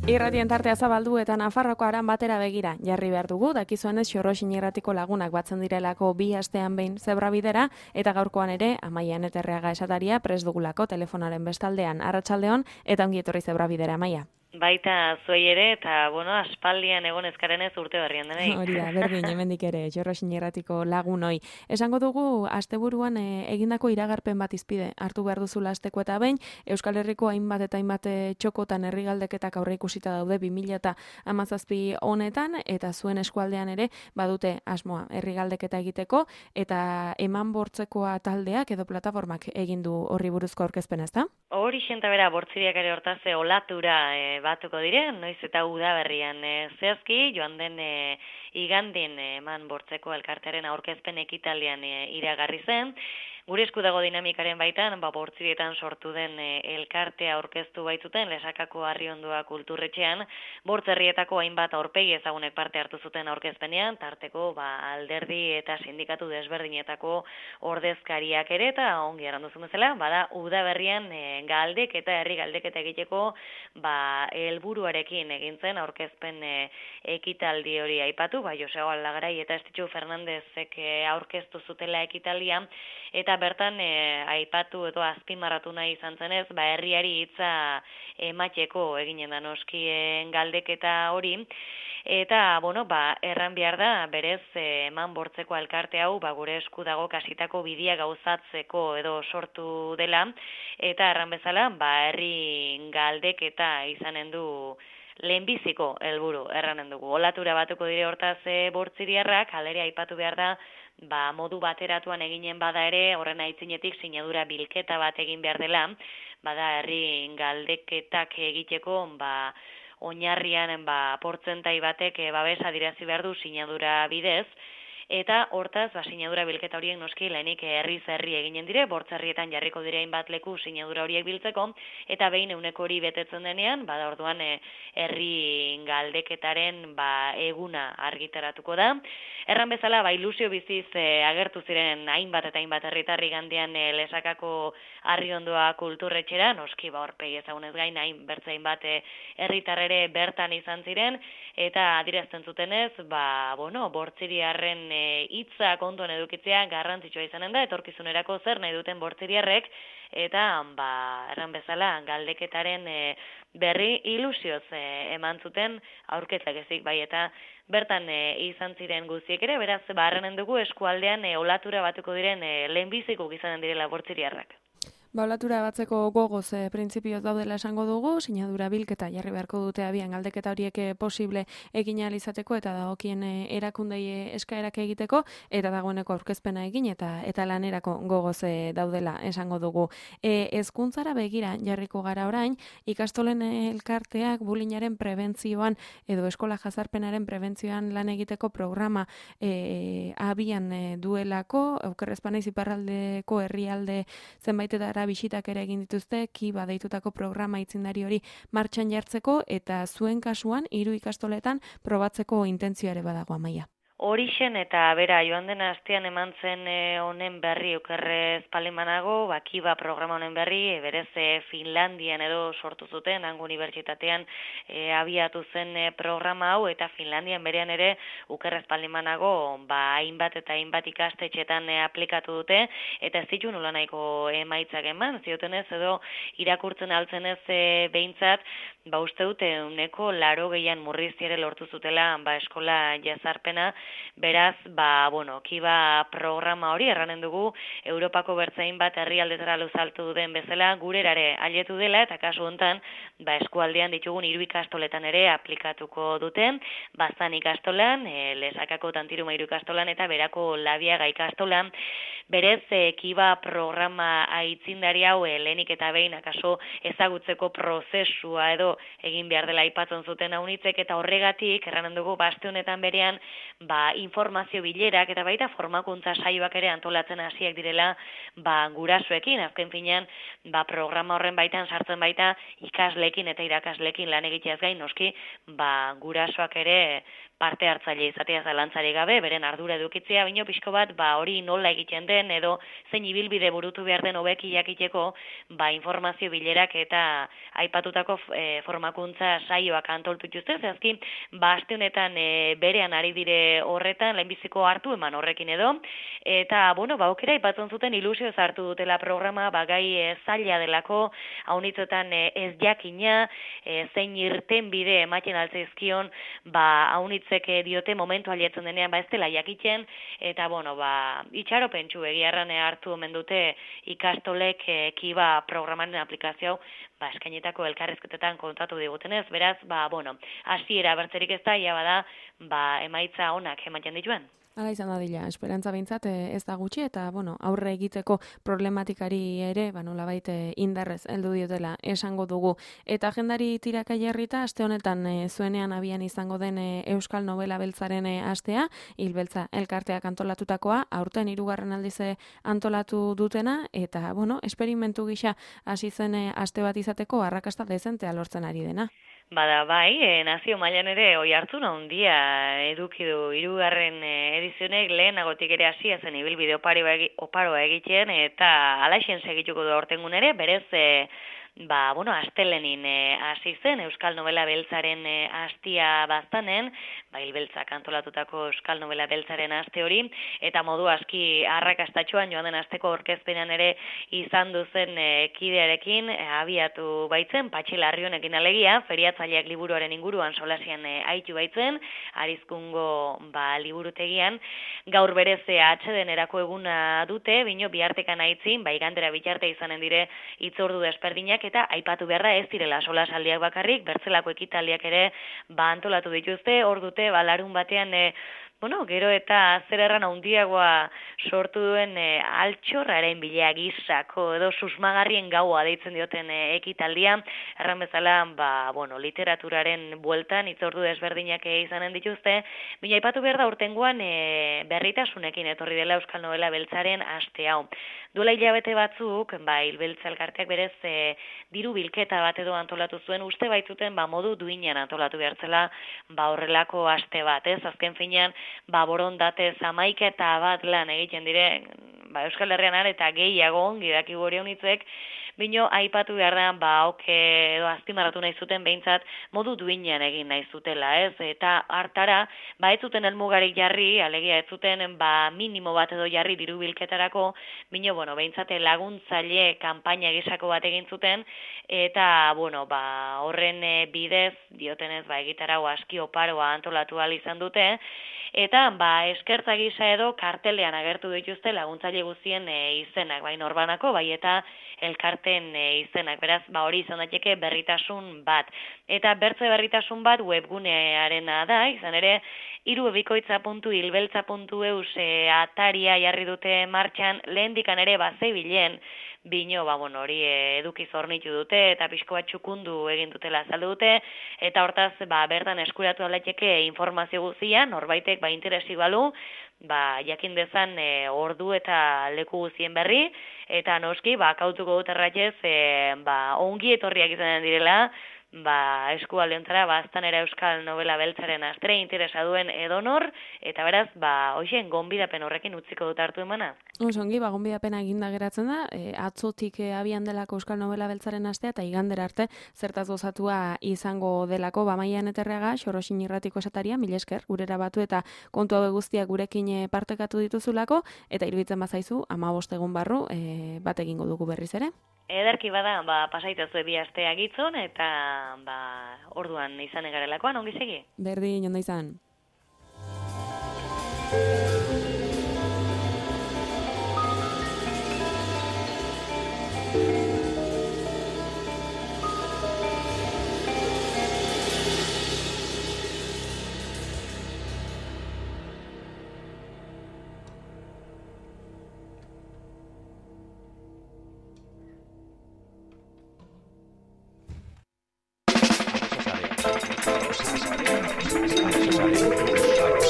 Irratien tartea zabaldu eta Nafarroko aran batera begira jarri behar dugu, dakizuenez Xorroxin irratiko lagunak batzen direlako 2 astean behin zebrabidera, eta gaurkoan ere Amaia Neterreaga esataria prest dugulako telefonaren bestaldean. Arratsaldeon eta ongi etorri zebrabidera, Amaia. Baita zuei ere, eta, aspaldian egon ezkarenez urte berrian denei. Hori da, berdin, hemendik ere, Xorroxin irratiko lagunoi. Esango dugu, asteburuan egindako iragarpen bat izpide, hartu behar duzula asteko eta behin, Euskal Herriko hainbat eta hainbat txokotan herrigaldeketak aurre ikusita daude 2017 honetan, eta zuen eskualdean ere, badute asmoa herrigaldeketa egiteko, eta eman bortzekoa taldeak edo plataformak egin du horri buruzko aurkezpena, ezta? Hori xenta bera, bortziriak ere hortaz olatura batuko diren, noiz eta udaberrian zehazki, joan den igandin eman bortzeko elkartearen aurkezpen ekitaldian iragarri zen. Gure esku dago dinamikaren baitan, bortzirietan sortu den elkartea aurkeztu baitzuten Lesakako Arriondua kulturretxean, bortzerrietako hainbat aurpegi ezagunek parte hartu zuten aurkezpenean, tarteko alderdi eta sindikatu desberdinetako ordezkariak ere, eta ongi erranduzun bezala, bada udaberrian galdek eta herri galdeketa egiteko helburuarekin egin zen aurkezpen ekitaldi hori aipatu, Josego Aldagarai eta Estitxu Fernandezek aurkeztu zutela ekitaldia, eta bertan aipatu edo azpimarratu nahi izan zenez, herriari hitza emateko eginen da noskien galdeketa hori, eta, erran behar da, berez eman bortzeko elkarte hau, gure esku dago kasitako bidia gauzatzeko edo sortu dela, eta erran bezala, herri galdeketa izanen du lehenbiziko helburu erranen dugu. Olatura batuko dire hortaz bortziriarrak, alere aipatu behar da, modu bateratuan eginen bada ere, horren aitzinetik sinadura bilketa bat egin behar dela, herri galdeketak egiteko, oinarrian portzentai batek babesa adierazi behar du sinadura bidez, eta hortaz, sinadura bilketa horiek noski lehenik herri eginen dire, bortzerrietan jarriko dire hainbat leku sinadura horiek biltzeko, eta behin euneko hori betetzen denean, orduan herri galdeketaren eguna argitaratuko da. Erran bezala, ilusio biziz agertu ziren hainbat eta hainbat herritarri gandian Lesakako Arriondua kulturretxera, noski horpegi ezagunez gain, bertzein bat herritarrere bertan izan ziren, eta adierazten zutenez, bortziriarren hitza kontuan edukitzea garrantzitsua izanen da, etorkizunerako zer nahi duten bortziriarrek, eta erran bezala galdeketaren berri ilusioz eman zuten aurkezak ezik, eta bertan izan ziren guztiek ere, beraz, erranen dugu eskualdean olatura batuko diren lehenbiziko izanen direla bortziriarrak. Olatura batzeko gogoz printzipioz daudela esango dugu, sinadura bilketa jarri beharko dute abian galdeketa horiek posible egin ahal izateko eta dagokien erakundei eskaerak egiteko, eta dagoeneko aurkezpena egin eta lanerako gogoz daudela esango dugu. Hezkuntzara begira jarriko gara orain, ikastolen elkarteak bulinaren prebentzioan edo eskola jazarpenaren prebentzioan lan egiteko programa abian duelako, Okerrezpanaiz iparraldeko herrialde zenbaitetara bisitak ere egin dituzte, Kiba deitutako programa aitzindari hori martxan jartzeko, eta zuen kasuan 3 ikastoletan probatzeko intentzioa ere badago, Amaia. Horixen eta bera, joan den astean eman zen honen berri okerrez palimanago, Kiba programa honen berri, berez Finlandian edo sortu zuten, hango unibertsitatean abiatu zen programa hau, eta Finlandian berean ere okerrez palimanago, hainbat eta hainbat ikastetxetan aplikatu dute, eta ez ditu nola nahiko emaitzak eman, ziotenez edo irakurtzen altzenez behintzat, uste dute uneko 80 murriztiare lortu zutela eskola jazarpena. Beraz, Kiba programa hori erranen dugu Europako bertzein bat herrialdetara luzaltu den bezala gurerare ailetu dela, eta kasu hontan eskualdean ditugun 3 ikastoletan ere aplikatuko duten, Baztan ikastolan, Lesakako Tantiruma 3 ikastolan eta Berako Labiaga ikastolan. Berez, Kiba programa aitzindari hau lehenik eta behin akaso ezagutzeko prozesua edo egin behar dela aipatzen zuten haunitzek, eta horregatik erranen dugu aste honetan berean informazio bilerak eta baita formakuntza saioak ere antolatzen hasiak direla gurasoekin. Azken finean programa horren baitan sartzen baita ikasleekin eta irakasleekin lan egiteaz gain noski gurasoak ere parte hartzaile izatea zalantzarik gabe, beren ardura edukitzea, baino pixko bat hori nola egiten den edo zein ibilbide burutu behar den hobeki jakiteko informazio bilerak eta aipatutako formakuntza saioak antolatu dituzte. Zehazki, aste honetan berean ari dire horretan, lehenbiziko hartu eman horrekin edo, eta, aukera aipatzen zuten ilusio hartu dutela programa, gai zaila delako, haunitzetan ez jakina, zein irten bide ematen altzaizkion, haunitzek diote momentu alietzen denean, ez dela jakiten, eta, itxaropentsu egiarran hartu omen dute ikastolek kiba programaren aplikazio eskainetako elkarrizketetan kontatu digutenez, beraz, hasiera bertzerik ez da, ia bada, emaitza onak ematen dituen. Hala izan dadila, esperantza behintzat ez da gutxi eta aurre egiteko problematikari ere nolabait indarrez heldu diotela esango dugu. Eta agendari tiraka jarrita aste honetan zuenean abian izango den Euskal Nobela Beltzaren astea, Hilbeltza elkarteak antolatutakoa, aurten 3. aldiz antolatu dutena eta esperimentu gisa hasi zen aste bat izateko arrakasta dezentea lortzen ari dena. Bada, bai, nazio mailan ere oi hartzun handia eduki du 3. edizionek lehenagotik ere hasia zen ibilbide oparoa egiten eta alaixen segituko du aurtengun ere, berez astelenin hasi zen Euskal Nobela Beltzaren astia baztanen, Hilbeltzak antolatutako Euskal Nobela Beltzaren aste hori, eta modu aski arrakastatxoan joan den asteko aurkezpenean ere izan duzen kidearekin abiatu baitzen, Patxi Larrionekin alegia, feriatzaileak liburuaren inguruan solasian aitu baitzen, Arizkungo liburutegian, gaur berez atxeden erako eguna dute, bino bihartekan aitzin, igandera bitarte izanen dire hitzordu desperdinak, eta aipatu beharra ez direla solasaldiak bakarrik, bertzelako ekitaldiak ere antolatu dituzte, hor dute larun batean gero eta zer erran handiagoa sortu duen altxorraren bilea gizako edo susmagarrien gaua deitzen dioten ekitaldia, erran bezala literaturaren bueltan hitzordu desberdinak izanen dituzte, baina aipatu behar da urtengoan berritasunekin etorri dela Euskal Nobela Beltzaren aste hau. Duela hilabete batzuk, Hilbeltza elkarteak berez diru bilketa bat edo antolatu zuen, uste baitzuten modu duinean antolatu behartzela horrelako aste bat, ez? Azken finean, borondatez 11 bat lan egiten dire, Euskal Herrian eta gehiago ongi dakigu hori honitzek, bino aipatu behar da, edo azpimarratu nahi zuten behintzat modu duinean egin nahi zutela, ez? Eta hartara, ez zuten helmugarik jarri, alegia ez zuten minimo bat edo jarri diru bilketarako, bino, behintzate laguntzaile kanpaina gisako bat egin zuten, eta, horren bidez, diotenez, egitarau aski oparoa antolatu ahal izan dute, eta, eskertza gisa edo kartelean agertu dituzte laguntzaile guztien izenak, norbanako, eta elkarten izenak, beraz, hori izan daiteke berritasun bat. Eta bertze berritasun bat webgunearena da, izan ere, irubebikoitza.hilbeltza.eus ataria jarri dute martxan, lehendikan ere zebilen, bino, hori eduki zornitu dute, eta pixko bat txukundu egin dutela azaldu dute, eta hortaz, bertan eskuratu alaiteke informazio guzia, norbaitek interesi balu, jakin dezan ordu eta leku guzien berri, eta noski, kautuko dut erratez, ongi etorriak izanen direla, eskualdeontara, aztanera Euskal Nobela Beltzaren astre interesa duen edonor, eta beraz, hoxen, gonbidapen horrekin utziko dut hartu emana. Ongi, gonbidapena eginda geratzen da, atzotik abian delako Euskal Nobela Beltzaren astea, eta igandera arte, zertaz gozatua izango delako, Maian Eterreaga, Xorosin Irratiko esataria, mil esker, gurera batu eta kontu hau guztiak gurekin partekatu dituzulako, eta iruditzen bazaizu, 15 egun barru, bat egingo dugu berriz ere. Ederki bada, pasaitazue bi astea gitzon, eta orduan izan egarelakoan, ongi segi? Berdin, ondo izan.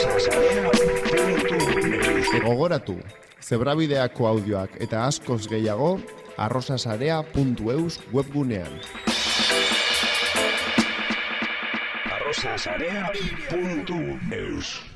Rosa Sarea. Gogoratu, zebrabideako audioak eta askoz gehiago arrosasarea.eus webgunean. arrosasarea.eus